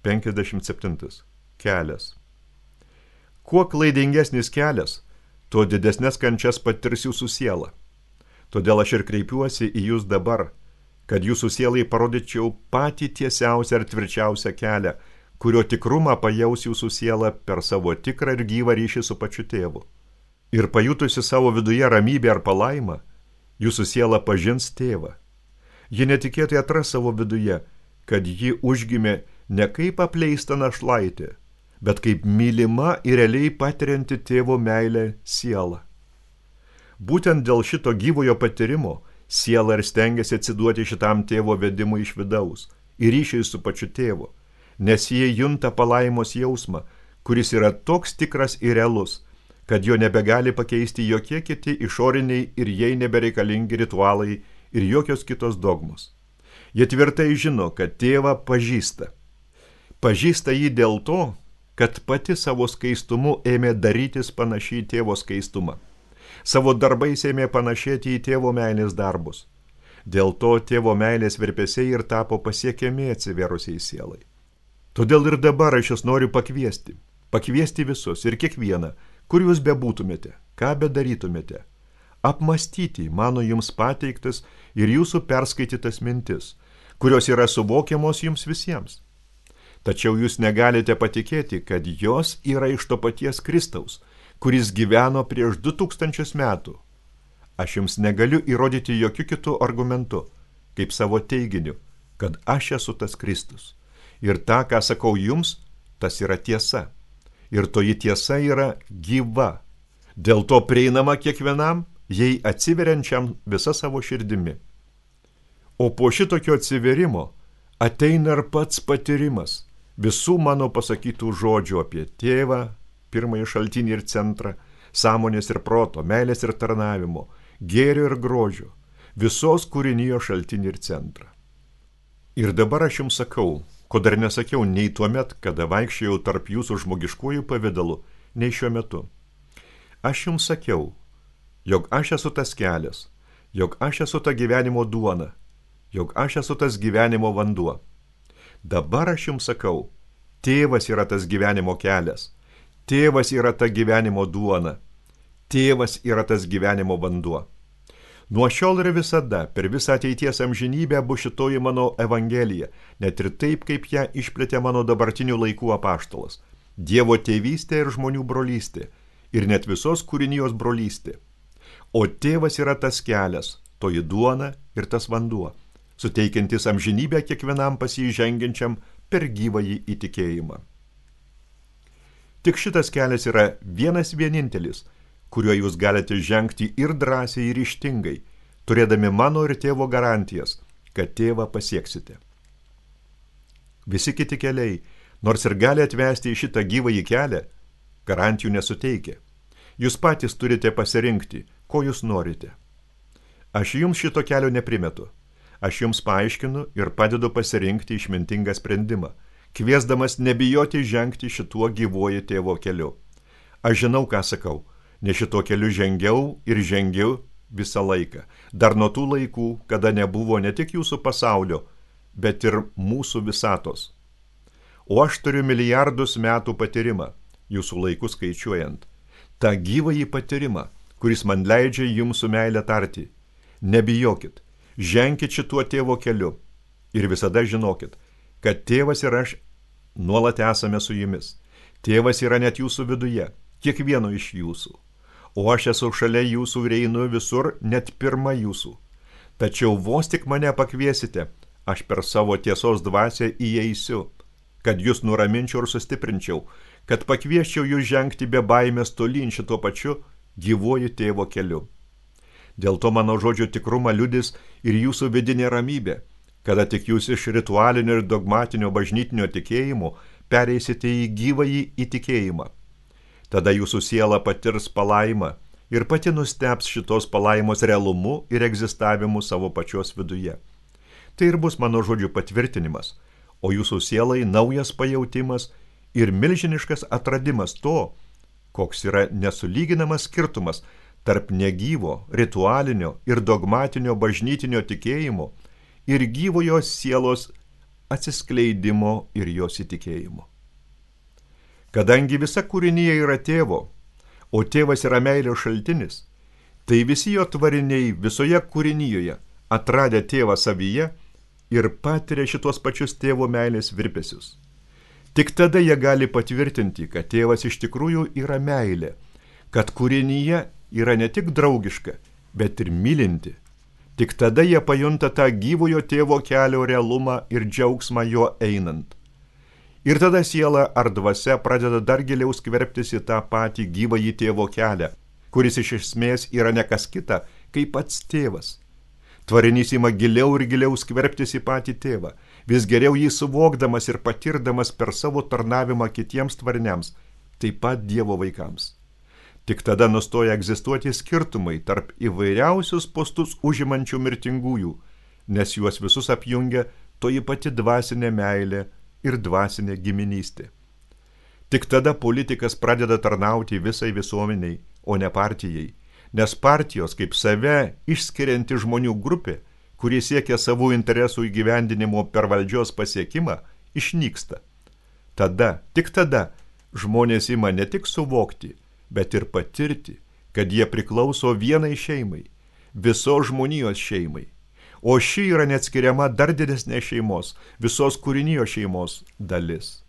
57. Kelias. Kuo klaidingesnis kelias, tuo didesnės kančias patirs jūsų siela. Todėl aš ir kreipiuosi į jūs dabar, kad jūsų sielai parodyčiau patį tiesiausią ir tvirčiausią kelią, kurio tikrumą pajaus jūsų siela per savo tikrą ir gyvą ryšį su pačiu tėvu. Ir pajutusi savo viduje ramybę ar palaimą, jūsų siela pažins tėvą. Ji netikėtai atras savo viduje, kad ji užgimė ne kaip apleista našlaitė, bet kaip mylima ir realiai patirianti tėvo meilę siela. Būtent dėl šito gyvojo patyrimo siela ir stengiasi atsiduoti šitam tėvo vedimui iš vidaus ir ryšiai su pačiu tėvu, nes jie junta palaimos jausmą, kuris yra toks tikras ir realus, kad jo nebegali pakeisti jokie kiti išoriniai ir jai nebereikalingi ritualai ir jokios kitos dogmos. Jie tvirtai žino, kad tėvą pažįsta. Pažįsta jį dėl to, kad pati savo skaistumu ėmė darytis panašiai į tėvo skaistumą. Savo darbais ėmė panašėti į tėvo meilės darbus. Dėl to tėvo meilės virpesiai ir tapo pasiekiami atsivėrusiai sielai. Todėl ir dabar aš jūs noriu pakviesti visus ir kiekvieną, kur jūs bebūtumėte, ką bedarytumėte, apmastyti mano jums pateiktas ir jūsų perskaitytas mintis, kurios yra suvokiamos jums visiems. Tačiau jūs negalite patikėti, kad jos yra iš to paties Kristaus, kuris gyveno prieš 2000 metų. Aš jums negaliu įrodyti jokių kitų argumentų, kaip savo teiginiu, kad aš esu tas Kristus. Ir tą, ką sakau jums, tas yra tiesa. Ir toji tiesa yra gyva. Dėl to prieinama kiekvienam, jei atsiveriančiam visa savo širdimi. O po šitokio atsiverimo ateina ir pats patyrimas visų mano pasakytų žodžių apie tėvą, pirmąjį šaltinį ir centrą, sąmonės ir proto, meilės ir tarnavimo, gėrio ir grožio, visos kūrinijos šaltinį ir centrą. Ir dabar aš jums sakau, ko dar nesakiau nei tuomet, kada vaikščiojau tarp jūsų žmogiškųjų pavidalų, nei šiuo metu. Aš jums sakiau, jog aš esu tas kelias, jog aš esu ta gyvenimo duona, jog aš esu tas gyvenimo vanduo. Dabar aš jums sakau, tėvas yra tas gyvenimo kelias, tėvas yra ta gyvenimo duona, tėvas yra tas gyvenimo vanduo. Nuo šiol ir visada, per visą ateities amžinybę bus šitoji mano evangelija, net ir taip, kaip ją išplėtė mano dabartinių laikų apaštalas. Dievo tėvystė ir žmonių brolystė, ir net visos kūrinijos brolystė. O tėvas yra tas kelias, toji duona ir tas vanduo, suteikiantis amžinybę kiekvienam pasižengiančiam per gyvąjį įtikėjimą. Tik šitas kelias yra vienas vienintelis, kuriuo jūs galite žengti ir drąsiai ir ryžtingai, turėdami mano ir tėvo garantijas, kad tėvą pasieksite. Visi kiti keliai, nors ir gali atvesti į šitą gyvąjį kelią, garantijų nesuteikia. Jūs patys turite pasirinkti, ko jūs norite. Aš jums šito kelio neprimetu. Aš jums paaiškinu ir padedu pasirinkti išmintingą sprendimą, kviesdamas nebijoti žengti šituo gyvuoju tėvo keliu. Aš žinau, ką sakau, nes šituo keliu žengiau visą laiką, dar nuo tų laikų, kada nebuvo ne tik jūsų pasaulio, bet ir mūsų visatos. O aš turiu milijardus metų patyrimą, jūsų laikus skaičiuojant, tą gyvąjį patyrimą, kuris man leidžia jums su meile tarti. Nebijokit, ženkit šituo tėvo keliu ir visada žinokit, kad tėvas ir aš nuolat esame su jumis. Tėvas yra net jūsų viduje, kiekvieno iš jūsų. O aš esu šalia jūsų ir einu visur, net pirma jūsų. Tačiau vos tik mane pakviesite, aš per savo tiesos dvasią įeisiu, kad jūs nuraminčiau ir sustiprinčiau, kad pakviesčiau jūs žengti be baimės tolyn šituo pačiu gyvuoju tėvo keliu. Dėl to mano žodžio tikrumą liudys ir jūsų vidinė ramybė, kada tik jūs iš ritualinio ir dogmatinio bažnytinio tikėjimo pereisite į gyvąjį įtikėjimą. Tada jūsų siela patirs palaimą ir pati nusteps šitos palaimos realumu ir egzistavimu savo pačios viduje. Tai ir bus mano žodžių patvirtinimas, o jūsų sielai naujas pajautimas ir milžiniškas atradimas to, koks yra nesulyginamas skirtumas tarp negyvo, ritualinio ir dogmatinio bažnytinio tikėjimo ir gyvojo sielos atsiskleidimo ir jos įtikėjimo. Kadangi visa kūrinija yra tėvo, o tėvas yra meilės šaltinis, tai visi jo tvariniai visoje kūrinijoje atradę tėvą savyje ir patiria šitos pačius tėvo meilės virpesius. Tik tada jie gali patvirtinti, kad tėvas iš tikrųjų yra meilė, kad kūrinyje yra ne tik draugiška, bet ir mylinti. Tik tada jie pajunta tą gyvojo tėvo kelio realumą ir džiaugsmą jo einant. Ir tada siela ar dvasia pradeda dar giliau skverbtis į tą patį gyvąjį tėvo kelią, kuris iš esmės yra ne kas kita, kaip pats tėvas. Tvarinys ima giliau ir giliau skverbtis į patį tėvą, vis geriau jį suvokdamas ir patirdamas per savo tarnavimą kitiems tvariniams, taip pat Dievo vaikams. Tik tada nustoja egzistuoti skirtumai tarp įvairiausius postus užimančių mirtingųjų, nes juos visus apjungia toji pati dvasinė meilė ir dvasinė giminystė. Tik tada politikas pradeda tarnauti visai visuomeniai, o ne partijai, nes partijos kaip save išskirianti žmonių grupė, kurie siekia savų interesų įgyvendinimo per valdžios pasiekimą, išnyksta. Tada, tik tada, žmonės ima ne tik suvokti, bet ir patirti, kad jie priklauso vienai šeimai, visos žmonijos šeimai, o ši yra neatskiriama dar didesnės šeimos, visos kūrinijos šeimos dalis.